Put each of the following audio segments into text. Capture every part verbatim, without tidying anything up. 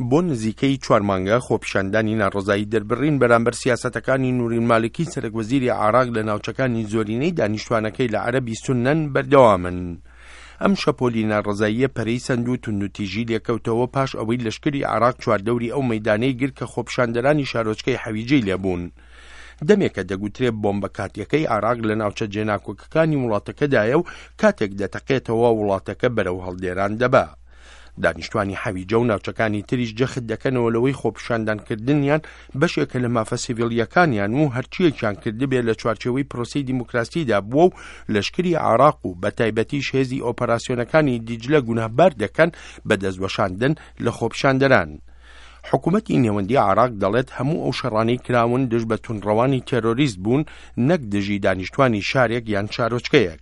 بۆ نزیکەی چوار مانگە خۆپیشاندانی ناڕەزایی دەربڕین بەرامبەر سیاسەتەکانی نوری مالکی سەرۆک وەزیری عێراق لە ناوچەکانی زۆرینەی دانیشتوانەکەی لە عەرەبی سوننەن بەردەوامن. ئەم شەپۆلی ناڕەزاییە پەرەی سەند و توندوتیژی لێکەوتەوە پاش ئەوەی لەشکری عێراق چواردەوری ئەو مەیدانەی گرت کە خۆپیشاندەرانی شارۆچکەی حەویجەی لێبوون. دەمێکە دەگوترێ بۆمبە کاتیەکەی عێراق لە ناوچە جێناکۆکەکانی وڵاتەکەدایە و کاتێک دەتەقێتەوە وڵاتەکە بەرەو هەڵدێران دەبا. دانیشتوانی حەویجە و ناوچەکانی تریش جەخت دەکەنەوە لەوەی خۆپیشاندانکردنیان بەشێکە لە مافە سیڤیلیەکانیان و هەرچیەکیان کردبێ لە چوارچێوەی پرۆسەی دیموکراسیدا بووە و لەشکری عێراق و بە تایبەتیش هێزی ئۆپەراسیۆنەکانی دیجلە گوناهبار دەکەن بە دەستوەشاندن لە خۆپیشاندەران. حکوومەتی نێوەندی عێراق دەڵێت هەموو ئەو شەڕانەی کراون دژ بە توندڕەوانی تێرۆریست بوون نەک دژی دانیشتوانی شارێک یان شارۆچکەیەک.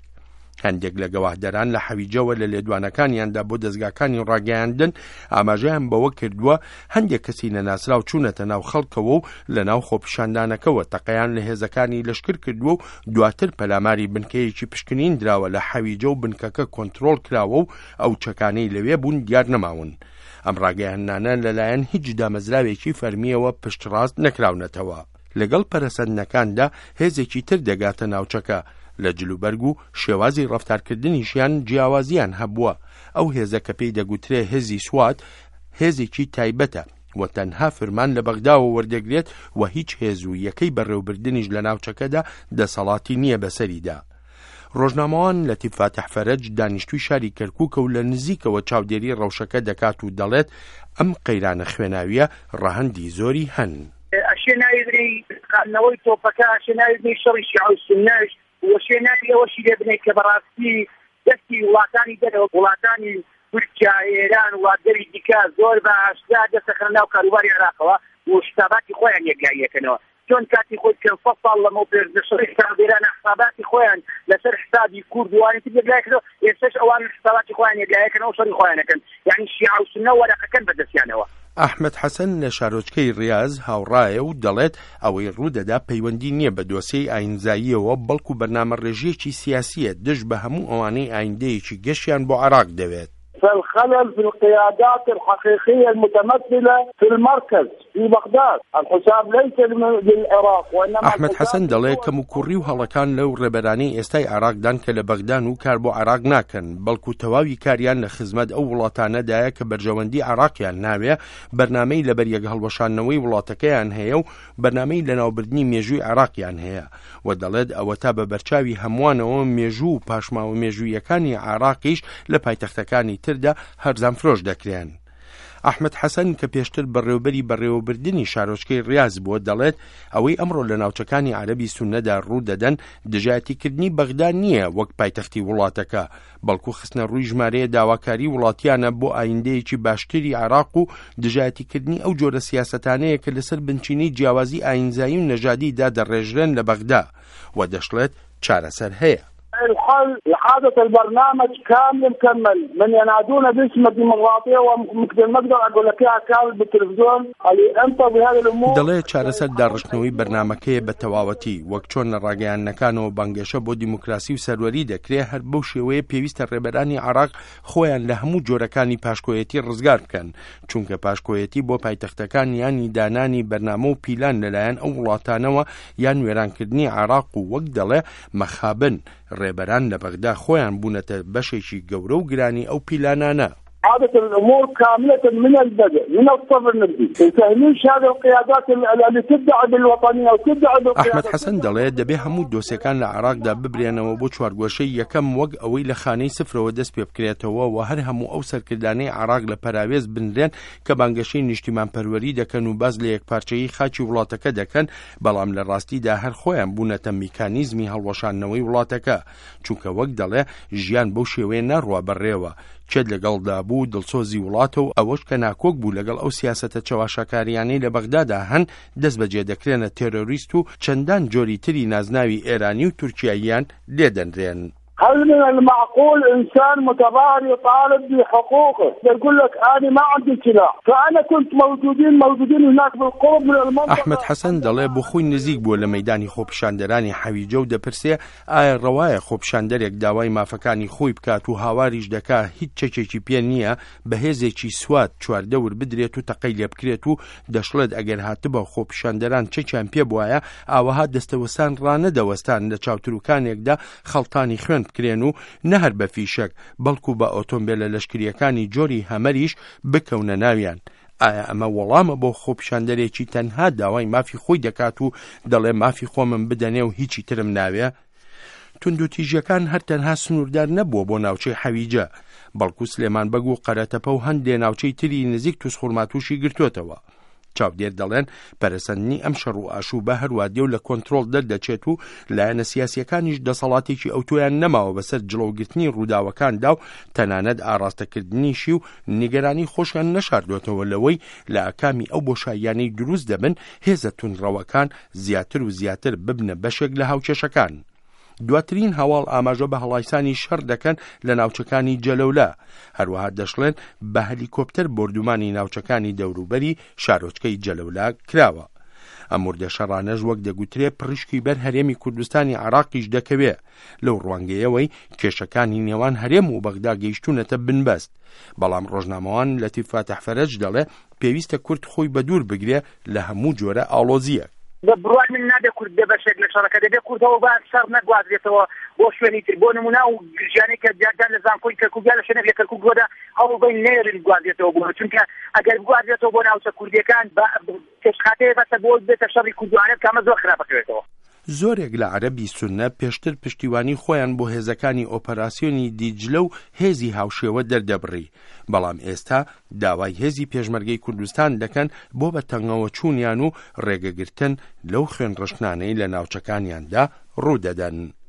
هەندێک لە گەواهدەران لە حەویجەوە لە لێدوانەکانیاندا بۆ دەزگاکانی ڕاگەیاندن ئاماژەیان بەوە کردووە هەندێک کەسی نەناسراو چوونەتە ناو خەڵکەوە و لە ناو خۆپیشاندانەکەوە تەقەیان لە هێزەکانی لەشکر کردووە و دواتر پەلاماری بنکەیەکی پشکنین دراوە لە حەویجە و بنکەکە کۆنترۆڵ کراوە و ئەو چەکانەی لەوێ بوون دیار نەماون. ئەم ڕاگەیاندنانە لەلایەن هیچ دامەزراوێکی فەرمیەوە پشتڕاست نەکراونەتەوە. لەگەڵ پەرەسەندنەکاندا هێزێکی تر دەگاتە ناوچەکە، لە جلوبەرگ و شێوازی ڕەفتارکردنیشیان جیاوازیان هەبووە. ئەو هێزە کە پێی دەگوترێ هێزی سوات هێزێکی تایبەتە و تەنها فرمان لە بەغداوە وەردەگرێت و هیچ هێز و یەکەی بەڕێوبردنیش لە ناوچەکەدا دەسەڵاتی نییە بەسەریدا. ڕۆژنامەوان لەتیف فاتح فەرەج دانیشتووی شاری کەرکووکە و لە نزیکەوە چاودێری ڕەوشەکە دەکات و دەڵێت ئەم قەیرانە خوێناویە ڕەهەندی زۆری هەن. ئەشێ ناوی بنەی قاندنەوەی تۆپەکە، ئەشێ ناوی بنەی شەڕی شیعە و سوننەش، وەشێ ناوی ئەوەشی لێ بنەی کە بەڕاستی دەستی وڵاتانی دەرەوە، وڵاتانی تورکیا، ئێران، وڵاتگەری دیکە زۆر بە ئاشکرا دەستەخەنە ناو کاروباری عێراقەوە و حساباتی خۆیان یەکلاییەکەنەوە. چۆن کاتی خۆی پێنج سەد ساڵ لەمەو پێش لە شەڕی ساردێرانە حساباتی خۆیان لەسەر حسابی کورد وانی تر یەکلاییکردەوە، ئێستاش ئەوان حساباتی خۆیان یەکلاییەکەنەوە و شەڕی خۆیان ئەکەن. یعنی شیعە و سوننە وەرەقەکەن بەدەستیانەوە. ئەحمەد حەسەن لە شارۆچکەی ڕیاز هاوڕایە و دەڵێت ئەوەی ڕوودەدا پەیوەندی نییە بە دۆسیەی ئاینزاییەوە، بەڵکو بەرنامە ڕێژیەکی سیاسیە دژ بە هەموو ئەوانەی ئایندەیەکی گەشیان بۆ عێراق دەوێت. فالخلل في القيادات الحقيقية المتمثلة في المركز في بغداد، الحساب ليس للعراق وإنما ئەحمەد حەسەن دەڵێ کەموکوڕی و هەڵەکان لەو ڕێبەرانەی ئێستای عێراقدان کە لە بەغدان و کار بۆ عێراق ناکەن، بەڵکو تەواوی کاریان لە خزمەت ئەو وڵاتانەدایە کە بەرژەوەندی عێراقیان ناوێ، بەرنامەی لەبەریەک هەڵوەشاندنەوەی وڵاتەکەیان هەیە و بەرنامەی لەناوبردنی مێژووی عێراقیان هەیە و دەڵێت ئەوەتا بە بەرچاوی هەمووانەوە مێژوو و پاشماوە مێژوویەکانی عێراقیش لە پایتەختەکانی تردا هەرزان فرۆش دەکرێن. ئەحمەد حەسەن کە پێشتر بەڕێوبەری بەڕێوەبردنی شارۆچکەی ڕیاز بووە دەڵێت ئەوەی ئەمڕۆ لە ناوچەکانی عەرەبی سوننەدا ڕوو دەدەن دژایەتیکردنی بەغدا نییە وەک پایتەختی وڵاتەکە، بەڵکو خستنە ڕووی ژمارەیە داواکاری وڵاتیانە بۆ ئایندەیەکی باشتری عێراق و دژایەتیکردنی ئەو جۆرە سیاسەتانەیە کە لەسەر بنچینەی جیاوازی ئاینزایی و نەژادی دادەڕێژرێن لە بەغدا و دەشڵێت چارەسەر هەیە. الحل إعادة البرنامج كامل مكمل من ينادون باسم الديمقراطية ومثل ما اقدر اقول لك اياها كامل بالتلفزيون اللي انت بهذه الامور. دەڵێ چارەسەر داڕشتنەوەی بەرنامەکەیە بە تەواوەتی، وەک چۆن لە ڕاگەیاندنەکانەوە بانگێشە بۆ دیموکراسی و سەروەری دەکرێ، هەر بەو شێوەیە پێویستە ڕێبەرانی عێراق خۆیان لە هەموو جۆرەکانی پاشکۆیەتی ڕزگار بکەن، چونکە پاشکۆیەتی بۆ پایتەختەکان یانی دانانی بەرنامە و پیلان لەلایەن ئەو وڵاتانەوە یان وێرانکردنی عێراق و وەک دەڵێ مەخابن ڕێبەران لە بەغدا خۆیان بوونەتە بەشێکی گەورە و گرانی ئەو پیلانانە. عادة الأمور كاملة من البدء من الصفر نبدي وتهميش هذه القيادات اللي تدعي بالوطنية وتدعي بالقيادة. ئەحمەد حەسەن دەڵێ دەبێ هەموو دۆسیەکان لە عێراقدا ببرێنەوە بۆ چوارگۆشەی یەکەم وەک ئەوەی لە خانەی سفرەوە دەست پێ بکرێتەوە و هەر هەموو ئەو سەرکردانەی عێراق لە پەراوێز بنرێن کە بانگەشەی نیشتیمانپەروەری دەکەن و باز لە یەکپارچەیی خاکی وڵاتەکە دەکەن، بەڵام لە ڕاستیدا هەر خۆیان بوونەتە میکانیزمی هەڵوەشاندنەوەی وڵاتەکە، چونکە وەک دەڵێ ژیان بەو شێوەیە ناڕوا بەڕێوە. کێت لەگەڵدا بوو دڵسۆزی وڵاتە و ئەوەش کە ناکۆک بوو لەگەڵ ئەو سیاسەتە چەواشەکاریانەی لە بەغدادا هەن دەست بەجێ دەکرێنە تێرۆریست و چەندان جۆری تری نازناوی ئێرانی و تورکیاییان لێدەنرێن. هل من المعقول إنسان متظاهر يطالب بحقوقه يقول لك أنا ما عندي سلاح، فأنا كنت موجودين موجودين هناك بالقرب من المنطقة. ئەحمەد حەسەن دەڵێ بۆ خۆی نزیک بووە لە مەیدانی خۆپیشاندەرانی حەویجە و دەپرسێ ئایا ڕەوایە خۆپیشاندەرێک داوای مافەکانی خۆی بکات و هاواریش دەکا هیچ چەکێکی پێ نییە بە هێزێکی سوات چواردەور بدرێت و تەقەی لێ بکرێت و دەشڵێت ئەگەر هاتبە خۆپیشاندەران چەکیان پێ بوایە ئاوەها دەستەوەستان ڕانەدەوەستان لە چاوتروکانێکدا خەڵتانی خوێن بکرێن و نەهەر بە فیشەک بەڵکو بە ئۆتۆمبیلە لەشکریەکانی جۆری هەمەریش بکەونە ناویان. ئایا ئەمە وەڵامە بۆ خۆپیشاندەرێکی تەنها داوای مافی خۆی دەکات و دەڵێ مافی خۆمم بدەنێ و هیچی ترم ناوێ؟ توندوتیژیەکان هەر تەنها سنووردار نەبووە بۆ ناوچەی حەویجە، بەڵکو سلێمان بەگ و قەرەتەپە و هەندێ ناوچەی تری نزیک تووسخورماتووشی گرتووەتەوە. چاودێر دەڵێن پەرەسەندنی ئەم شەڕ و ئاشوبە هەروادێ و لە کۆنترۆڵ دەردەچێت و لایەنە سیاسیەکانیش دەسەڵاتێکی ئەوتۆیان نەماوە بەسەر جڵەوگرتنی ڕووداوەکاندا و تەنانەت ئاراستەکردنیشی و نیگەرانی خۆشیان نەشاردوێتەوە لەوەی لە ئاکامی ئەو بۆشاییانەی دروست دەبن هێزە توندڕەوەکان زیاتر و زیاتر ببنە بەشێک لە هاوکێشەکان. دواترین هەواڵ ئاماژە بە هەڵایسانی شەڕ دەکەن لە ناوچەکانی جەلەولا، هەروەها دەشڵێن بە هەلیکۆپتەر بۆردومانی ناوچەکانی دەوروبەری شارۆچکەی جەلەولا کراوە. ئەم وردە شەڕانەش وەک دەگوترێ پڕیشکی بەر هەرێمی کوردستانی عراقیش دەکەوێ، لەو ڕوانگەیەوەی کێشەکانی نێوان هەرێم و بەغدا گەیشتوونەتە بنبەست. بەڵام ڕۆژنامەوان لەتیف فاتح فەرەج دەڵێ پێویستە کورد خۆی بەدوور بگرێ لە هەموو جۆرە ئاڵۆزییەک. بە بڕوای من نابێ کورد بێ بەشێک لە شەڕەکە، دەبێ کوردەوە با شەڕ نەگوازرێتەوە بۆ شوێنی تر. بۆ نمونە و ژیانێک کە دیاردان لە زانکۆی کەرکووک یا لە شوێنێک لە کەرکووک بۆدا هەوڵ بەین نەیەڵین بگوازرێتەوە بۆ، چونکە ئەگەر بگوازرێتەوە بۆ ناوچە کوردیەکان پێشخاتەیە بەسە بۆ بێتە شەڕی کورد و عەرەب کە ئەمە زۆر خراپەکەوێتەوە. زۆرێک لە عەرەبی سوننە پێشتر پشتیوانی خۆیان بۆ هێزەکانی ئۆپەراسیۆنی دیجلە و هێزی هاوشێوە دەردەبڕی، بەڵام ئێستا داوای هێزی پێشمەرگەی کوردستان دەکەن بۆ بە تەنگەوە چوونیان و ڕێگەگرتن لەو خوێنڕشتنانەی لە ناوچەکانیاندا ڕوودەدەن.